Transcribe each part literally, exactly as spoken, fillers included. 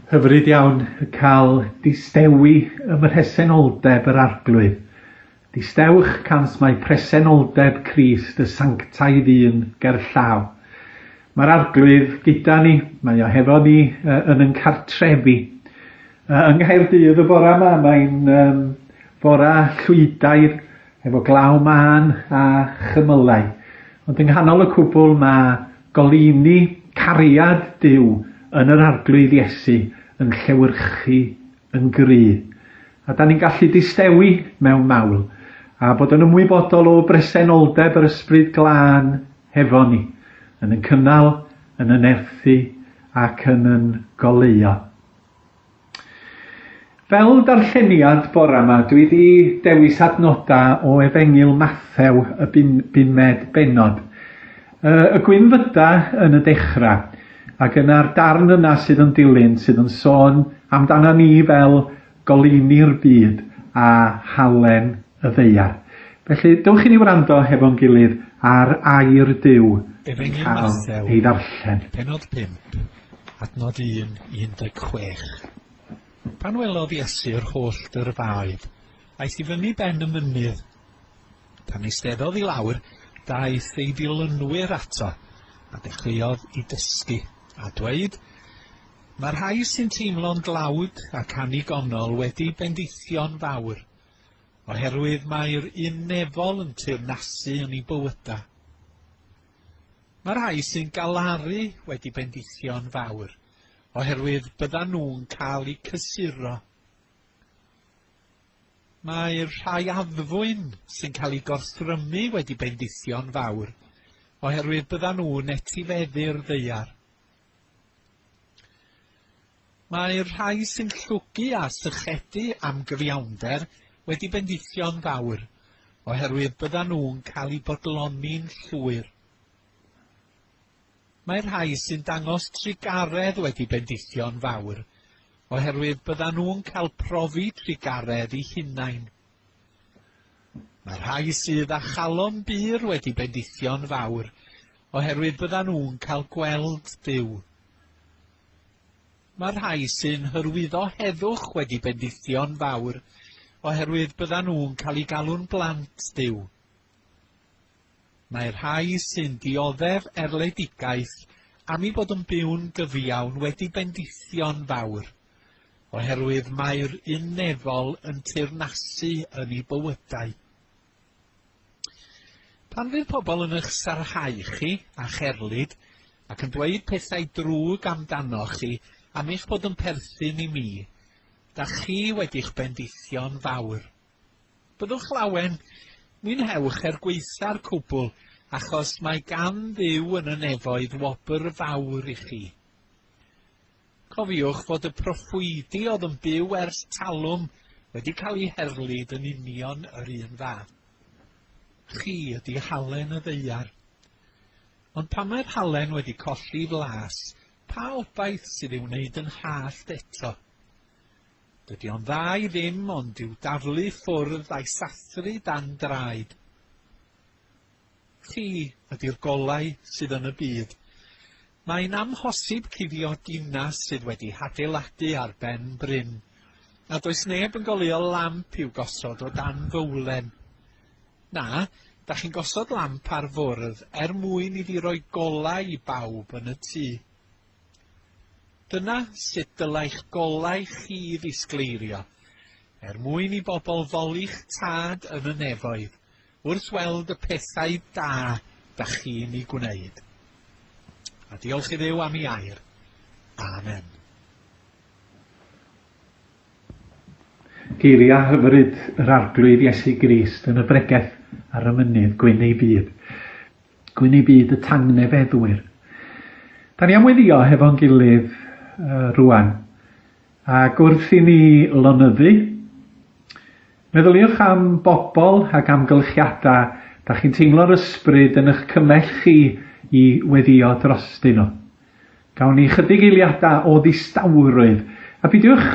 Hyfryd iawn cael distewi ym mhresenoldeb yr Arglwydd. Distewch cans mae presenoldeb Crist y sanctaidd un gerllaw. Mae'r Arglwydd gyda ni, mae o hefo ni yn yn cartrefi. Yng Nghaerdydd y bora yma, mae'n um, fora llwydaidd efo glaw mân a chymylau. Ond yng nghanol y cwbl mae goleuni cariad Duw yn yr Arglwydd Iesu yn llewyrchu yn gry. A da ni'n gallu distewi mewn mawl a bod yn ymwybodol o bresenoldeb yr Ysbryd Glân hefo ni, yn yn cynnal, yn yn nerthu ac yn yn goleuo. Fel darlleniad bora yma, dwi wedi dewis adnodau o Efengyl Mathew y bumed bennod. Y gwynfyda yn y dechrau, ac yna'r darn yna sydd yn dilyn, sydd yn sôn amdano ni fel goleuni'r byd a halen y ddaear. Felly, dewch i ni wrando hefo'n gilydd ar air Duw yn cael ei ddarllen. Pennod pump, adnod un, un deg chwech. Pan welodd Iesu'r holl dyrfaoedd, aeth i fyny ben y mynydd. Pan eisteddodd i lawr, daeth ei ddilynwyr ato, a dechreuodd i dysgu, a dweud, mae'r rhai sy'n teimlo'n dlawd ac annigonol wedi bendithio'n fawr, oherwydd mae'r un nefol yn teyrnasu yn ei bywydau. Mae'r rhai sy'n galaru wedi bendithio'n fawr, oherwydd byddan nhw'n cael eu cysuro. Mae'r rhai addfwyn sy'n cael eu gorthrymu wedi bendithio'n fawr, oherwydd byddan nhw'n etifeddu'r ddaear. Mae'r rhai sy'n llwgu a sychedu am gyfiawnder wedi bendithio'n fawr, oherwydd byddan nhw'n cael eu bodloni'n llwyr. Mae'r rhai sy'n dangos trugaredd wedi bendithio'n fawr, oherwydd byddan nhw'n cael profi trugaredd eu hunain. Mae'r rhai sydd â chalon bur wedi bendithio'n fawr, oherwydd byddan nhw'n cael gweld Duw. Mae'r rhai sy'n hyrwyddo heddwch wedi bendithio'n fawr, oherwydd byddan nhw'n cael eu galw'n blant Duw. Mae'r rhai sy'n dioddef erledigaeth am eu bod yn byw'n gyfiawn wedi bendithio'n fawr, oherwydd mae'r un nefol yn teyrnasu yn eu bywydau. Pan fydd pobl yn eich sarhau chi a'ch erlid ac yn dweud pethau drwg amdanoch chi am eich bod yn perthyn i mi, da chi wedi'ch bendithio'n fawr. Byddwch lawen, mwynhewch er gwaetha'r cwbl, achos mae gan Dduw yn y nefoedd wobr fawr i chi. Cofiwch fod y proffwydi oedd yn byw ers talwm wedi cael eu herlid yn union yr un fath. Chi ydy halen y ddaear. Ond pan mae'r halen wedi colli flas, pa obaith sydd i'w wneud yn hallt eto? Dydy o'n dda i ddim ond i'w daflu ffwrdd a'i sathru dan draed. Chi ydy'r golau sydd yn y byd. Mae'n amhosib cuddio dinas sydd wedi hadeiladu ar ben bryn, a does neb yn goleuo lamp i'w gosod o dan fowlen. Na, da chi'n gosod lamp ar fwrdd er mwyn iddi roi golau i bawb yn y tŷ. Dyna sut dylai'ch golau chi ddisgleirio, er mwyn i bobl foli'ch tad yn y nefoedd, wrth weld y pethau da da chi'n ei gwneud. A diolch i Dduw am ei air. Amen. Geiriau hyfryd yr Arglwydd Iesu Grist yn y bregeth ar y mynydd gwyn ei byd. Gwyn ei byd y tangnefeddwyr. Da ni am weddïo hefo'n gilydd uh, rwan. Ac wrth i ni lonyddu, meddyliwch am bobl ac amgylchiadau da chi'n teimlo'r ysbryd yn eich cymell chi i weddïo drostyn nhw. Gawn ni chydig eiliadau o ddistawrwydd. A peidiwch,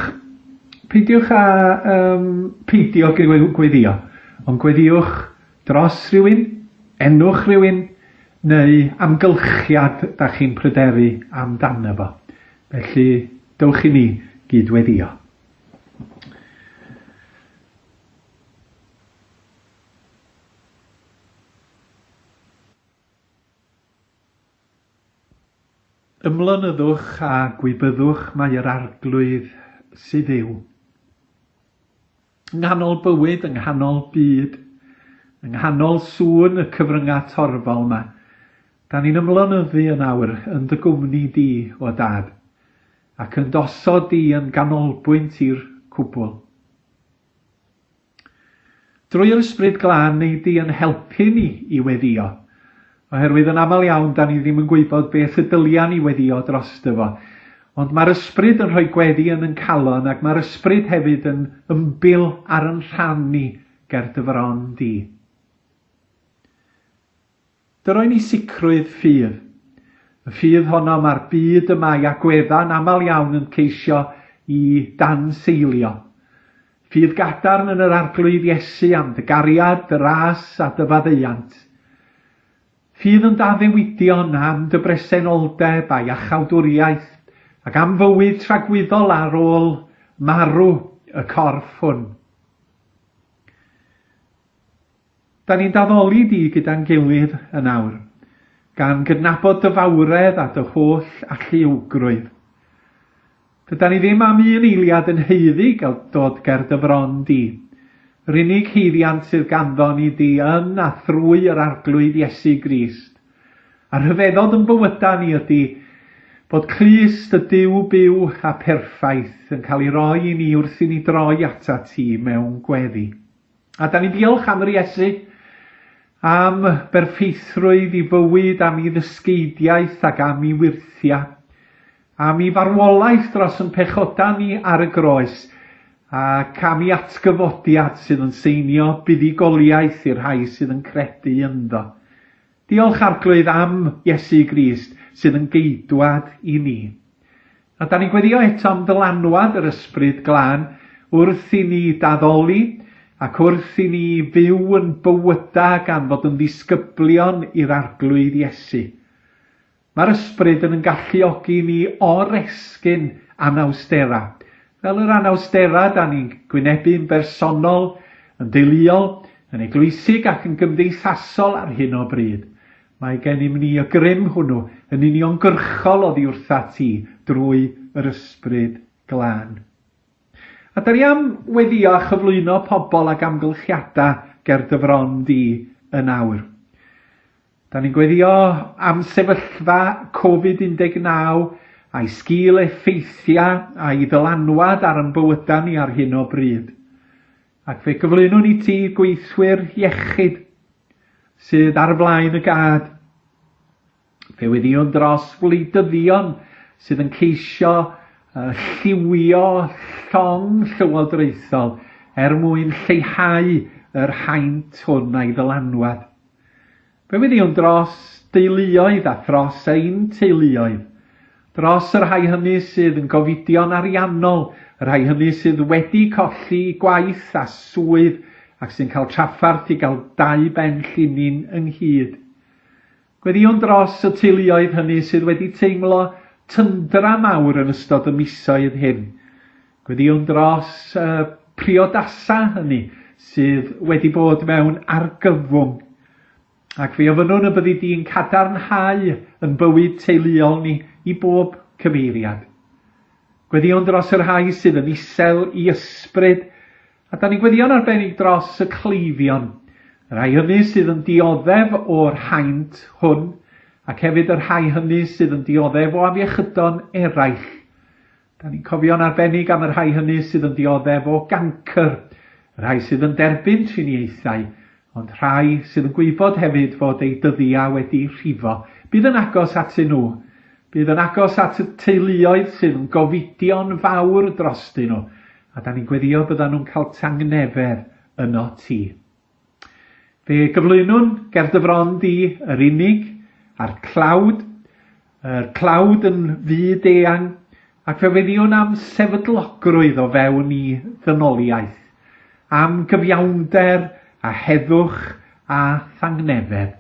peidiwch â um, peidio gweddïo, ond gweddiwch dros rhywun, enwch rhywun, neu amgylchiad da chi'n pryderu amdano fo. Felly, Dewch i ni gydweddio. Ymlynyddwch a gwybyddwch mae yr Arglwydd sydd yw. Yng nghanol bywyd, yng nghanol byd, yng nghanol sŵn y cyfryngau torfol yma, da ni'n ymlynyddu yn awr yn dy gwmni di o dad, ac yn dosod di yn ganolbwynt i'r cwbl. Drwy'r Ysbryd Glân neu di yn helpu ni i weddio, oherwydd yn aml iawn da ni ddim yn gwybod beth y dylia ni weddio drosto fo. Ond mae'r Ysbryd yn rhoi gweddi yn yn calon, ac mae'r Ysbryd hefyd yn ymbil ar yn rhan ni ger dy fron di. Dyroi ni sicrwydd ffydd. Y ffydd honno mae'r byd yma i agwedda'n aml iawn yn ceisio i danseilio. Ffydd gadarn yn yr Arglwydd Iesu am dy gariad, dy ras a dy faddeuant. Ffydd yn daddewidion am dy bresenoldeb a'i iachawdwriaeth ac am fywyd tragwyddol ar ôl marw y corff hwn. Da ni'n daddoli di gyda'n gilydd yn awr, gan gydnabod dy fawredd a dy holl alluogrwydd. Dydan ni ddim am un eiliad yn haeddu gael dod ger dy fron di. Yr unig haeddiant sydd ganddo ni di yn a thrwy yr Arglwydd Iesu Grist. A rhyfeddod yn bywyda ni ydy bod Crist y Duw byw a perffaith yn cael ei roi i ni wrth i ni droi atat ti mewn gweddi. A da ni'n diolch am yr Iesu, am berffeithrwydd i fywyd, am ei ddysgeidiaeth ac am ei wyrthiau, am ei farwolaeth dros yn pechoda ni ar y groes, ac am ei atgyfodiad sydd yn seinio buddugoliaeth i'r rhai sydd yn credu ynddo. Diolch Arglwydd am Iesu Grist sydd yn geidwad i ni. A da ni'n gweddio eto am ddylanwad yr Ysbryd Glân wrth i ni daddoli ac wrth i ni fyw yn bywyda gan fod yn ddisgyblion i'r Arglwydd Iesu. Mae'r Ysbryd yn galluogi ni oresgyn anawstera. Fel yr anawstera da ni'n gwynebu'n bersonol, yn deuluol, yn eglwysig ac yn gymdeithasol ar hyn o bryd. Mae gennym ni y grym hwnnw yn uniongyrchol oddi wrtha ti drwy yr Ysbryd Glân. A da ni am weddio a chyflwyno pobl ag amgylchiadau ger dy fron di yn awr. Da ni'n gweddio am sefyllfa Covid un deg naw a'i sgil effeithiau a'i ddylanwad ar ein bywydau ni ar hyn o bryd. Ac fe gyflwynwn i ti gweithwyr iechyd sydd ar flaen y gad. Fe weddiwn dros wleidyddion sydd yn ceisio uh, lliwio llong llywodraethol er mwyn lleihau yr haint hwn a'i ddylanwad. Fe weddiwn dros deuluoedd a thros ein teuluoedd, dros y rhai hynny sydd yn gofidio'n ariannol, y rhai hynny sydd wedi colli gwaith a swydd ac sy'n cael trafferth i gael dau ben llinyn ynghyd. Gweddïwn dros y teuluoedd hynny sydd wedi teimlo tyndra mawr yn ystod y misoedd hyn. Gweddïwn dros y priodasa hynny sydd wedi bod mewn argyfwng. Ac fe ofynnwn y byddi di'n cadarnhau yn bywyd teuluol ni i bob cyfeiriad. Gweddïwn dros y rhai sydd yn isel i ysbryd, a da ni'n gweddïo'n arbennig dros y cleifion, y rhai hynny sydd yn dioddef o'r haint hwn, ac hefyd y rhai hynny sydd yn dioddef o afiechydon eraill. Da ni'n cofio'n arbennig am y rhai hynny sydd yn dioddef o gancr, y rhai sydd yn derbyn triniaethau, ond rhai sydd yn gwybod hefyd fod eu dyddiau wedi rhifo. Bydd yn agos atyn nhw. Bydd yn agos at y teuluoedd sydd yn gofidio'n fawr drostyn nhw. A da ni'n gweddio byddan nhw'n cael tangnefedd yno ti. Fe gyflwynwn ger dy fron di yr unig a'r tlawd, yr tlawd yn fyd eang, ac fe weddiwn am sefydlogrwydd o fewn i ddynoliaeth, am gyfiawnder a heddwch a thangnefedd.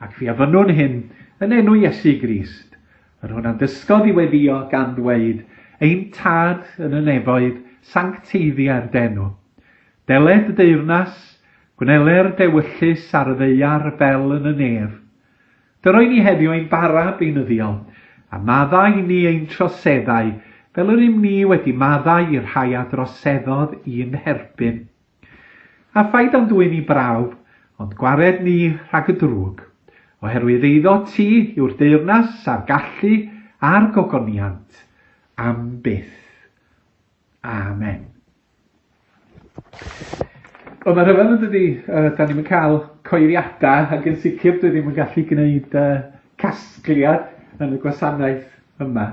Ac fe ofynnwn hyn yn enw Iesu Grist, yr hwn a'n dysgodd i weddio gan ddweud, Ein Tad yn y nefoedd, sancteiddia'r d'enw. Deled y deyrnas, gwneler dewyllys ar y ddaear fel yn y nef. Dyroi ni heddiw ein bara beunyddiol, a maddau i ni ein troseddau, fel yr ym ni wedi maddau i'r rhai a droseddodd i'n herbyn. A phaid â'n dwyn i brawf, ond gwared ni rhag y drwg, oherwydd eiddo ti yw'r deyrnas a'r gallu a'r gogoniant am byth. Amen. Wel, mae rhyfedd yn dydi, uh, da ni'n cael coeriadau ac yn sicr dwi ddim yn gallu gwneud uh, casgliad yn y gwasanaeth yma.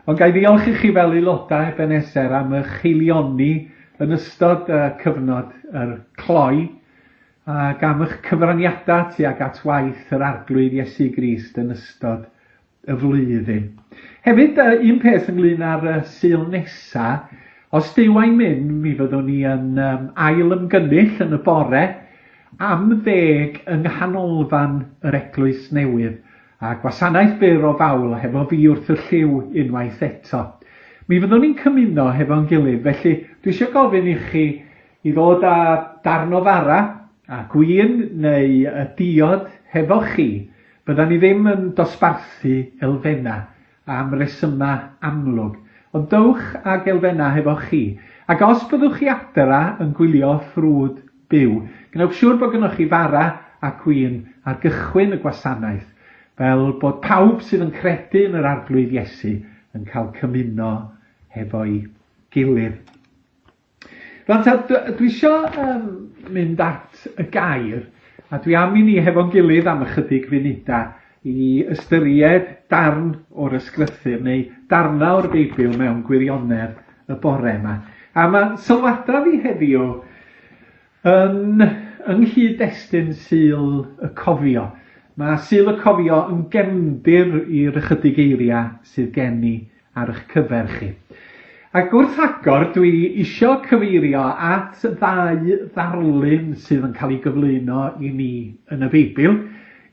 Ond ga i ddiolch i chi fel aelodau Ebenezer am eich haelioni yn ystod uh, cyfnod yr cloi ac am eich cyfraniadau tuag at waith yr Arglwydd Iesu Grist yn ystod y flwyddyn. Hefyd, uh, un peth ynglyn â'r uh, Sul nesa, os Duw a'i mynd, mi fyddwn ni yn um, ail ymgynnull yn y bore am ddeg yng nghanolfan yr Eglwys Newydd a gwasanaeth byr o fawl hefo fi wrth y llyw unwaith eto. Mi fyddwn ni'n cymuno hefo'n gilydd, felly dwi eisiau gofyn i chi i ddod â darn o fara a gwin neu y diod hefo chi. Byddan ni ddim yn dosbarthu elfennau am resymau amlwg, ond dowch ag elfennau hefo chi. Ac os byddwch chi adra yn gwylio ffrwd byw, gwnewch siŵr bod gynnoch chi fara a gwin ar gychwyn y gwasanaeth, fel bod pawb sydd yn credu yn yr Arglwydd Iesu yn cael cymuno hefo'i gilydd. Rwan ta, dwi isio um, mynd at y gair, a dwi am i ni hefo'n gilydd am ychydig funudau i ystyried darn o'r ysgrythur neu darna o'r Beibl mewn gwirionedd y bore yma. A mae sylwadau fi heddiw yn yng nghyd-destun Sul y Cofio. Mae Sul y Cofio yn gefndir i'r ychydig eiriau sydd gen i ar eich cyfer chi. Ac wrth agor, dwi isio cyfeirio at ddau ddarlun sydd yn cael ei gyflwyno i ni yn y Beibl.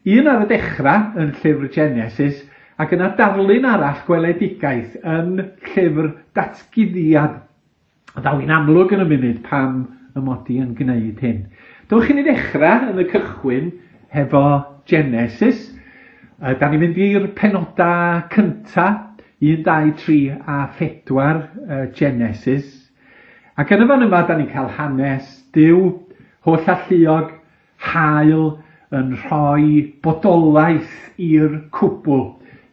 Un ar y dechrau yn llyfr Genesis, ac yna darlun arall gweledigaeth yn llyfr Datguddiad. Ddaw hi'n amlwg yn y munud pam y mod i yn gwneud hyn. Dewch i ni ddechrau yn y cychwyn hefo Genesis. Da ni'n mynd i'r penodau cynta, un, dau, tri a phedwar Genesis. Ac yn y fan yma, da ni'n cael hanes Duw, holl alluog, hael, yn rhoi bodolaeth i'r cwbl,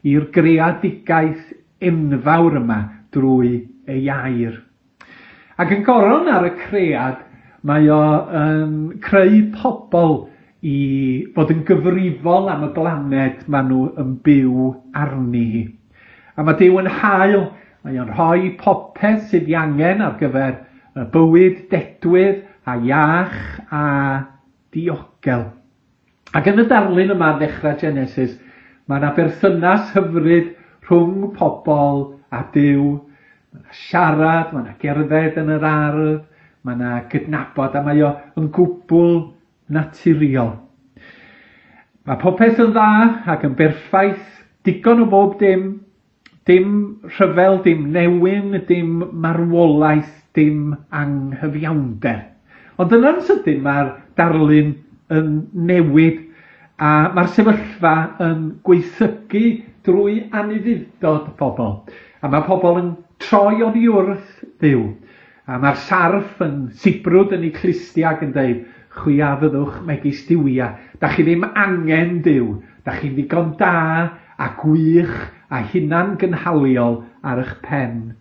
i'r greadigaeth enfawr yma drwy ei air. Ac yn goron ar y cread, mae o yn creu pobl i fod yn gyfrifol am y blaned maen nhw yn byw arni hi. A mae Duw yn hael, mae o'n rhoi popeth sydd ei angen ar gyfer y bywyd dedwydd a iach a diogel. Ac yn y darlun yma ar ddechrau Genesis, mae yna berthynas hyfryd rhwng pobl a Duw. Mae yna siarad, mae yna gerdded yn yr ardd, mae yna gydnabod, a mae o yn gwbl naturiol. Mae popeth yn dda ac yn berffaith, digon o bob dim, dim rhyfel, dim newyn, dim marwolaeth, dim anghyfiawnder. Ond yna'n sydyn mae'r darlun yn newid a mae'r sefyllfa yn gwaethygu drwy anufudd-dod pobl. A mae pobl yn troi oddi wrth Dduw. A mae'r sarff yn sibrwd yn ei clustiau ac yn dweud, chwi a fyddwch megis duwiau. Da chi ddim angen Duw. Da chi'n ddigon da a gwych a hunan gynhaliol ar eich pen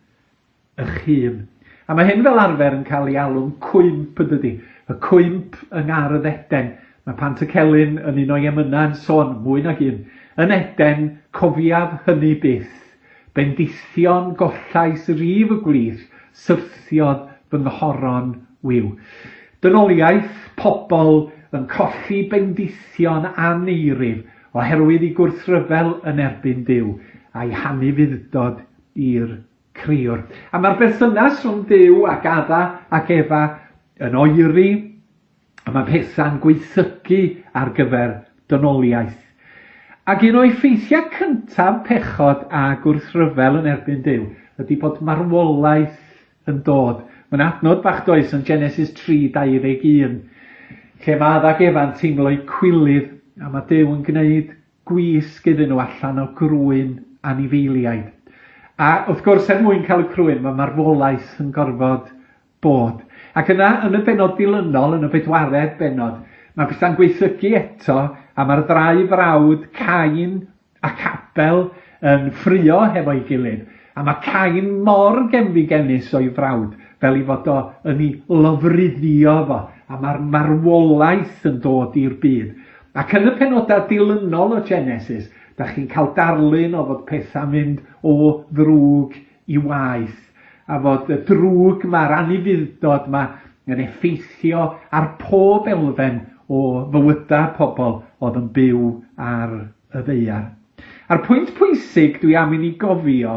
eich hun. A mae hyn fel arfer yn cael ei alw'n cwymp yn dydi. Y cwymp yng Ngardd Eden. Mae Pantycelyn yn un o'i emynau yn sôn mwy nag un. Yn Eden, cofiaf hynny byth. Bendithion gollais rif y gwlith, syrthiodd fy nghoron wiw. Dynoliaeth pobl yn colli bendithion aneirif oherwydd ei gwrthryfel yn erbyn Duw a'i hanufudd-dod i'r Crëwr. A mae'r berthynas rhwng Duw ac Adda ac Efa yn oeri, a mae pethau'n gwaethygu ar gyfer dynoliaeth. Ac un o effeithiau cyntaf pechod a gwrthryfel yn erbyn Duw ydy bod marwolaeth yn dod. Mae'n adnod bach does yn Genesis tri dau ddeg un, lle mae Adda ac Efa'n teimlo'u cwilydd, a mae Duw yn gwneud gwisg iddyn nhw allan o grwyn anifeiliaid. A wrth gwrs, er mwyn cael y crwyn, mae marwolaeth yn gorfod bod. Ac yna, yn y bennod dilynol, yn y bedwaredd bennod, mae pethau'n gweithygu eto, a mae'r ddau frawd, Cain ac Abel, yn ffrio hefo'i gilydd. A mae Cain mor genfigennus o'i frawd, fel i fod o yn ei lofruddio fo, a mae'r marwolaeth yn dod i'r byd. Ac yn y penodau dilynol o Genesis, da chi'n cael darlun o fod pethau'n mynd o ddrwg i waeth, a fod y drwg ma'r anufudd-dod ma yn effeithio ar pob elfen o fywydau pobl oedd yn byw ar y ddaear. A'r pwynt pwysig dwi am i ni gofio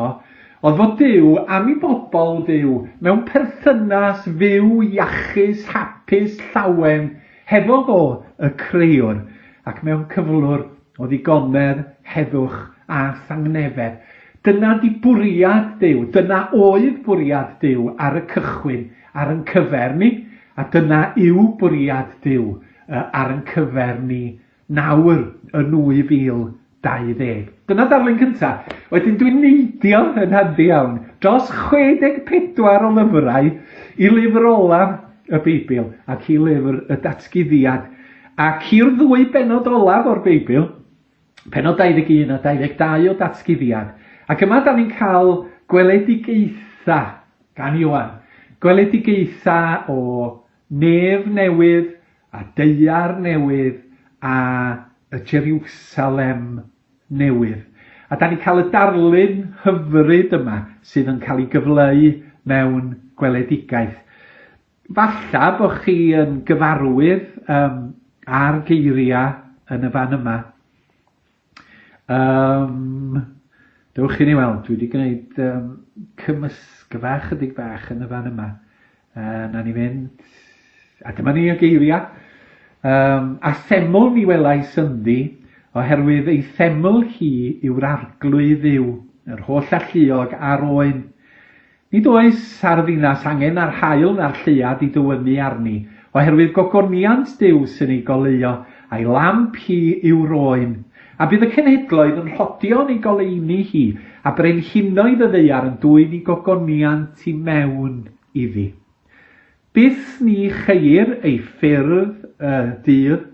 oedd fod Duw am i bobl fyw mewn perthynas fyw, iachus, hapus, llawen, hefo fo y crëwr, ac mewn cyflwr o ddigonedd, heddwch a thangnefedd. Dyna di bwriad Duw, dyna oedd bwriad Duw ar y cychwyn, ar yn cyfer ni, a dyna yw bwriad Duw ar yn cyfer ni nawr yn nwy fil dau ddeg. Dyna darlun cyntaf. Wedyn dwi'n neidio yn handi iawn dros chwe deg pedwar o lyfrau i lyfr olaf y Beibl ac i lyfr y Datguddiad. Ac i'r ddwy bennod olaf o'r Beibl, pennod dau ddeg un a dau ddeg dau o Datguddiad. Ac yma da ni'n cael gweledigaetha gan Ioan. Gweledigaetha o nef newydd a daear newydd a y Jerusalem newydd. A da ni'n cael y darlun hyfryd yma sydd yn cael ei gyfleu mewn gweledigaeth. Falla bod chi yn gyfarwydd um, ar geiriau yn y fan yma. Um, dewch i ni weld, dwi wedi gwneud um, cymysgfa chydig bach yn y fan yma. Uh, na ni fynd, a dyma ni y geiriau. Um, a theml mi welais ynddi, oherwydd ei theml hi yw'r arglwydd Dduw, yr holl alluog a'r oen. Nid oes ar ddinas angen ar haul na'r lleuad i dywynnu arni, oherwydd gogoniant Duw sy'n ei goleuo, a'i lamp hi yw'r oen. A bydd y cenhedloedd yn rhodio yn ei goleuni hi, a brenhinoedd y ddaear yn dwyn i gogoniant i mewn iddi. Byth ni cheir ei ffyrdd y dydd,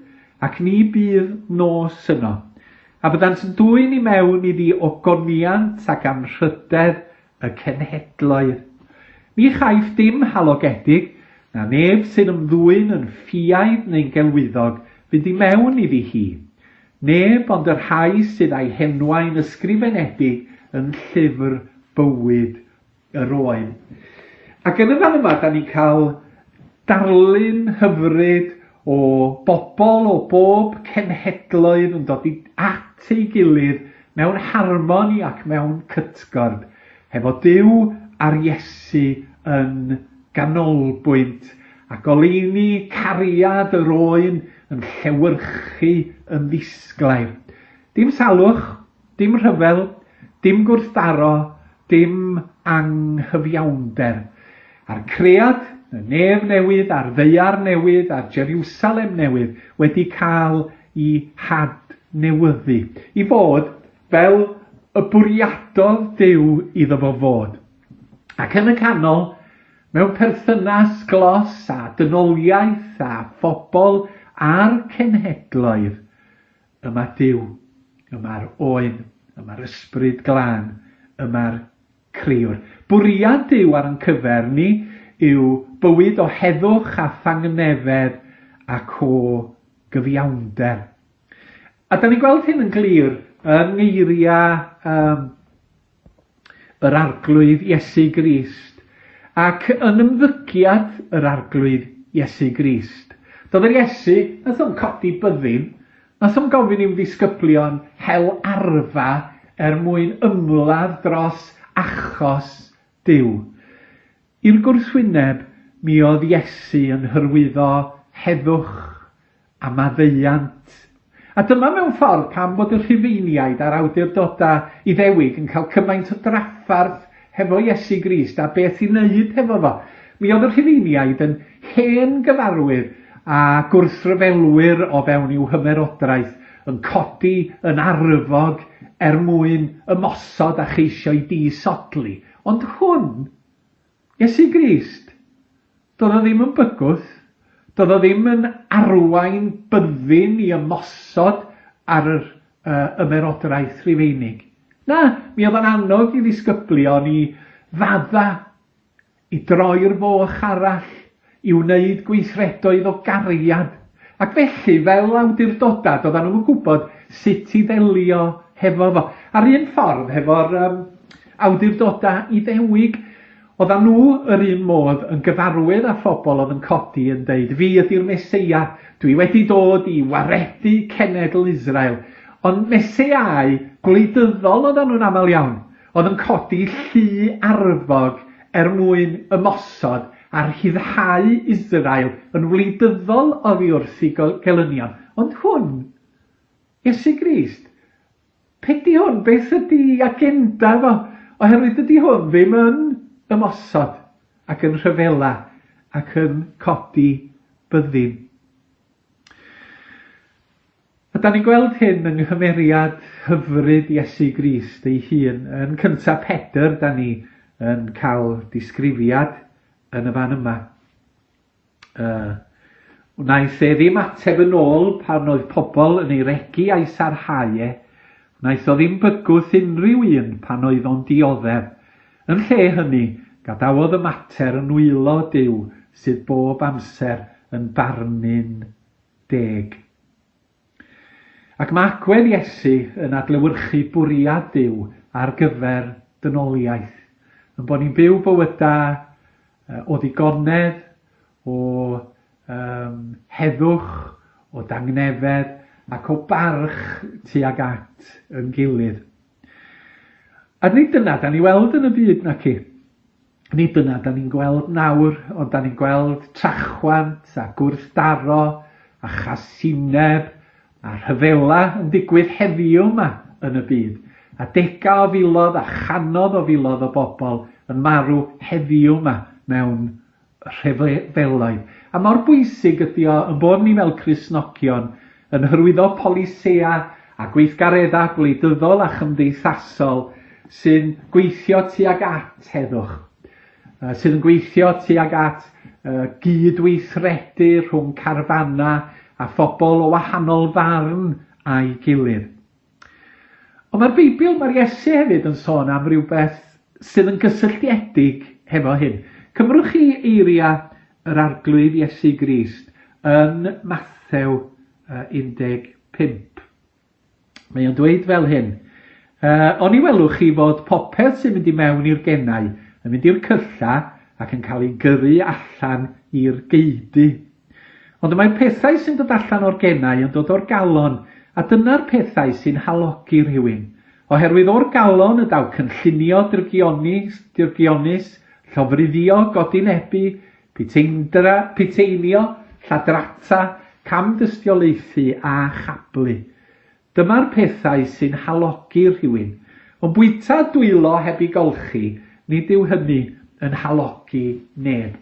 ac ni bydd nos yno. A byddant yn dwyn i mewn iddi ogoniant ac anrhydedd y cenhedloedd. Ni chaiff dim halogedig, na neb sy'n ymddwyn yn ffiaidd neu'n gelwyddog fynd i mewn iddi hi. Neb ond y rhai sydd â'i henwau'n ysgrifenedig yn llyfr bywyd yr oen. Ac yn y fan yma, da ni'n cael darlun hyfryd o bobl o bob cenhedloedd yn dod i at ei gilydd mewn harmoni ac mewn cytgord, hefo Duw a'r Iesu yn ganolbwynt, a goleuni cariad yr oen yn llewyrchu yn ddisglair. Dim salwch, dim rhyfel, dim gwrthdaro, dim anghyfiawnder. A'r cread, y nef newydd, a'r ddaear newydd, a'r Jerusalem newydd wedi cael ei hadnewyddu, i fod fel y bwriadodd Duw iddo fo fod. Ac yn y canol, mewn perthynas glos a dynoliaeth a phobl a'r cenhedloedd, yma Duw, yma'r oen, yma'r ysbryd glân, yma'r crëwr. Bwriad Duw ar ein cyfer ni yw bywyd o heddwch a thangnefedd ac o gyfiawnder. A da ni'n gweld hyn yn glir yng ngeiriau um, yr Arglwydd Iesu Grist ac yn ymddygiad yr Arglwydd Iesu Grist. Doedd yr Iesu, nath o'n codi byddin, nath o'n gofyn i'w ddisgyblion hel arfa er mwyn ymladd dros achos Duw. I'r gwrthwyneb, mi oedd Iesu yn hyrwyddo heddwch a maddeuant. A dyma mewn ffordd pam bod y Rhufeiniaid a'r awdurdodau Iddewig yn cael cymaint o drafferth hefo Iesu Grist a beth i wneud hefo fo. Mi oedd y Rhufeiniaid yn hen gyfarwydd a gwrthryfelwyr o fewn i'w hymerodraeth yn codi yn arfog er mwyn ymosod a cheisio i disodli. Ond hwn, Iesu Grist, doedd o ddim yn bygwth, doedd o ddim yn arwain byddin i ymosod ar yr uh, ymerodraeth Rufeinig. Na, mi oedd o'n annog i ddisgyblion i fadda, i droi'r foch arall, i wneud gweithredoedd o gariad. Ac felly, fel awdurdodad, oedden nhw'n gwybod sut i ddelio hefo fo. Ar un ffordd, hefo'r um, awdurdodau Iddewig, oedden nhw yr un modd yn gyfarwydd â phobl oedd yn codi yn deud, fi ydy'r Meseia, dwi wedi dod i waredu cenedl Israel. Ond meseiau gwleidyddol oedden nhw'n aml iawn, oedd yn codi llu arfog er mwyn ymosod a rhyddhau Israel yn wleidyddol oddi wrth ei gelynion. Ond hwn, Iesu Grist, be di hwn? Beth ydy agenda fo? Oherwydd dydy hwn ddim yn ymosod ac yn rhyfela ac yn codi byddin. A da ni'n gweld hyn yng nghymeriad hyfryd Iesu Grist ei hun. Yn cyntaf Pedr, da ni yn cael disgrifiad yn y fan yma. Uh, wnaeth e ddim ateb yn ôl pan oedd pobl yn ei regi a'i sarhau e. Wnaeth o ddim bygwth unrhyw un pan oedd o'n dioddef. Yn lle hynny, gadawodd y mater yn nwylo Duw sydd bob amser yn barnu'n deg. Ac mae agwedd Iesu yn adlewyrchu bwriad Duw ar gyfer dynoliaeth. Yn bod ni'n byw bywydau o ddigonedd, o um, heddwch, o dangnefedd ac o barch tuag at yn gilydd. A nid dyna da ni weld yn y byd naci. Nid dyna da ni'n gweld nawr, ond da ni'n gweld trachwant a gwrthdaro a chasineb a rhyfela yn digwydd heddiw yma yn y byd. A dega o filoedd a chanodd o filoedd o bobl yn marw heddiw yma mewn rhyfeloedd. A mor bwysig ydy o yn bod ni fel Cristnogion yn hyrwyddo polisïau a gweithgareddau gwleidyddol a chymdeithasol sy'n gweithio tuag at heddwch, sydd yn gweithio tuag at gydweithredu rhwng carfanau a phobl o wahanol farn a'i gilydd. Ond mae'r Beibl, mae'r Iesu hefyd yn sôn am rhywbeth sydd yn gysylltiedig hefo hyn. Cymrwch chi eiriau yr Arglwydd Iesu Grist yn Mathew un deg pump. Mae o'n dweud fel hyn, Uh, oni welwch chi fod popeth sy'n mynd i mewn i'r genau yn mynd i'r cylla ac yn cael ei gyrru allan i'r geudy. Ond mae'r pethau sy'n dod allan o'r genau yn dod o'r galon, a dyna'r pethau sy'n halogi rhywun. Oherwydd o'r galon y daw cynllunio drygionus, drygionus, llofruddio, godinebu, puteindra, puteinio, lladrata, camdystiolaethu a chablu. Dyma'r pethau sy'n halogi rhywun. Ond bwyta dwylo heb ei golchi, nid yw hynny yn halogi neb.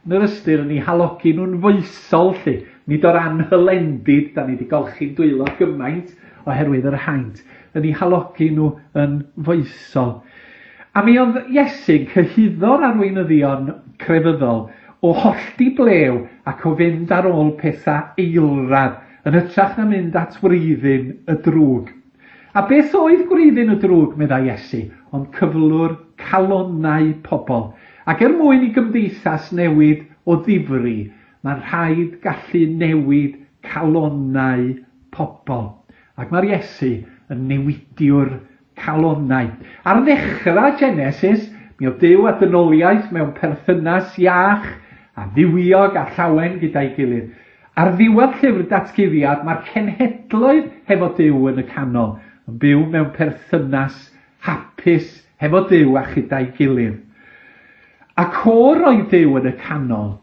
Yn yr ystyr, yn ei halogi nhw'n foesol, lly. Nid o'r anhylendid, da ni wedi golchi'n dwylo gymaint oherwydd yr haint. Yn ei halogi nhw yn foesol. A mi oedd Iesu'n cyhuddo'r arweinyddion crefyddol o hollti blew ac o fynd ar ôl pethau eilradd, yn hytrach na mynd at wreiddyn y drwg. A beth oedd gwreiddyn y drwg, meddai Iesu, ond cyflwr calonnau pobl. Ac er mwyn i gymdeithas newid o ddifri, mae'n rhaid gallu newid calonnau pobl. Ac mae'r Iesu yn newidiwr calonnau. Ar ddechrau Genesis, mi oedd Duw a dynoliaeth mewn perthynas iach a dduwiog a llawen gyda'i gilydd. Ar ddiwedd llyfr datguddiad, mae'r cenhedloedd hefo Duw yn y canol, yn byw mewn perthynas hapus hefo Duw a chyda'i gilydd. Ac o roi Duw yn y canol,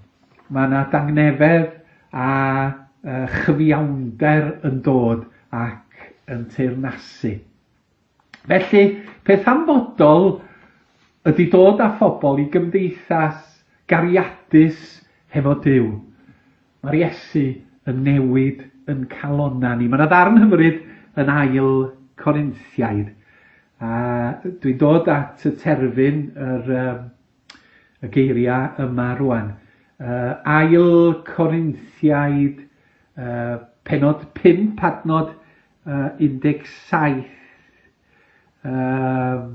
mae yna dangnefedd a uh, chyfiawnder yn dod ac yn teyrnasu. Felly, peth hanfodol ydy dod â phobl i gymdeithas gariadus hefo Duw. Mae'r Iesu yn newid yn calonna ni. Mae yna ddarn hyfryd yn ail Corinthiaid. A dwi'n dod at y terfyn yr, um, y geiriau yma rwan. Uh, ail Corinthiaid, uh, pennod pump, adnod uh, un deg saith. Uh,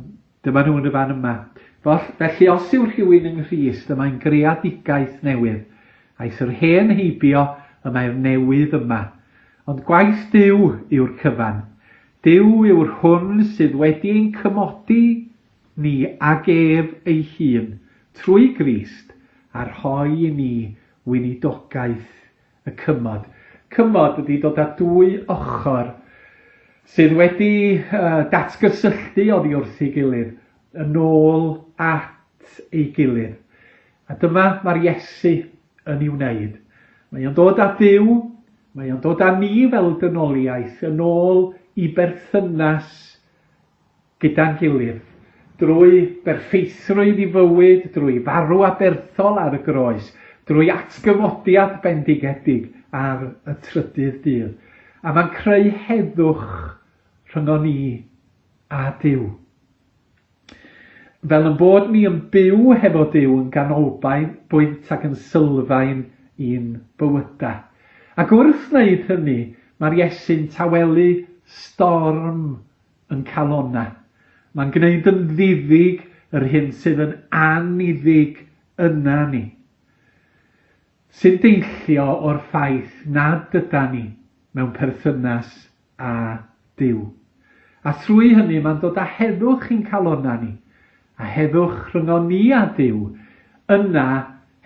dyma nhw yn y fan yma. Felly, os yw rhywun yng Nghrist, y mae'n greadigaeth newydd. Aeth yr hen heibio, y mae'r newydd yma. Ond gwaith Duw yw'r cyfan. Duw yw'r hwn sydd wedi ein cymodi ni ag ef ei hun trwy Grist a rhoi i ni weinidogaeth y cymod. Cymod ydy dod â dwy ochr sydd wedi uh, datgysylltu oddi wrth ei gilydd yn ôl at ei gilydd. A dyma mae'r Iesu yn ei wneud. Mae o'n dod â Duw, mae o'n dod â ni fel dynoliaeth yn ôl i berthynas gyda'n gilydd, drwy berffeithrwydd i fywyd, drwy farw aberthol ar y groes, drwy atgyfodiad bendigedig ar y trydydd dydd. A mae'n creu heddwch rhyngon ni a Duw. Fel yn bod ni yn byw hefo Duw yn ganolbwynt ac yn sylfaen i'n bywydau. Ac wrth wneud hynny, mae'r Iesu'n tawelu storm yn calonna. Mae'n gwneud yn ddiddig yr hyn sydd yn aniddig yna ni. Sy'n deillio o'r ffaith nad yda ni mewn perthynas â Duw. A thrwy hynny mae'n dod â heddwch i'n calonna ni, a heddwch rhyngon ni a Duw, yna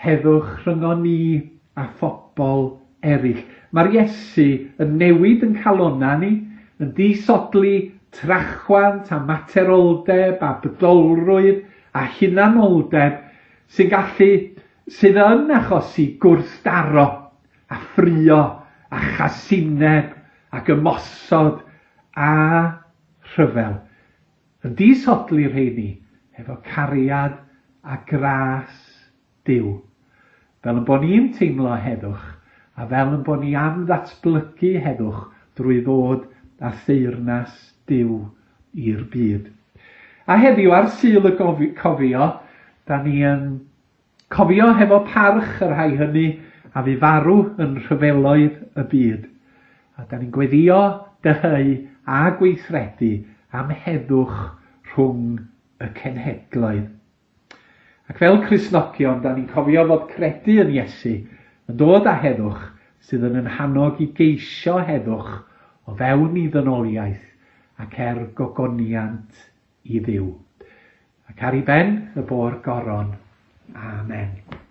heddwch rhyngon ni a phobl eraill. Mae'r Iesu yn newid yn calonna ni, yn disodli trachwant a materoldeb a bydolrwydd a hunanoldeb sy'n gallu, sydd yn achosi gwrthdaro a ffrio a chasineb ac ymosod a rhyfel. Yn disodli rheini efo cariad a gras Duw. Fel yn bod ni'n teimlo heddwch a fel yn bod ni am ddatblygu heddwch drwy ddod â theyrnas Duw i'r byd. A heddiw ar Sul y Cofio, da ni yn cofio hefo parch y rhai hynny a fu farw yn rhyfeloedd y byd. A da ni'n gweddio, dyheu a gweithredu am heddwch rhwng y cenhedloedd. Ac fel Cristnogion, da ni'n cofio fod credu yn Iesu yn dod â heddwch sydd yn ein hannog i geisio heddwch o fewn i ddynoliaeth ac er gogoniant i Dduw. Ac ar ei ben y bo'r goron. Amen.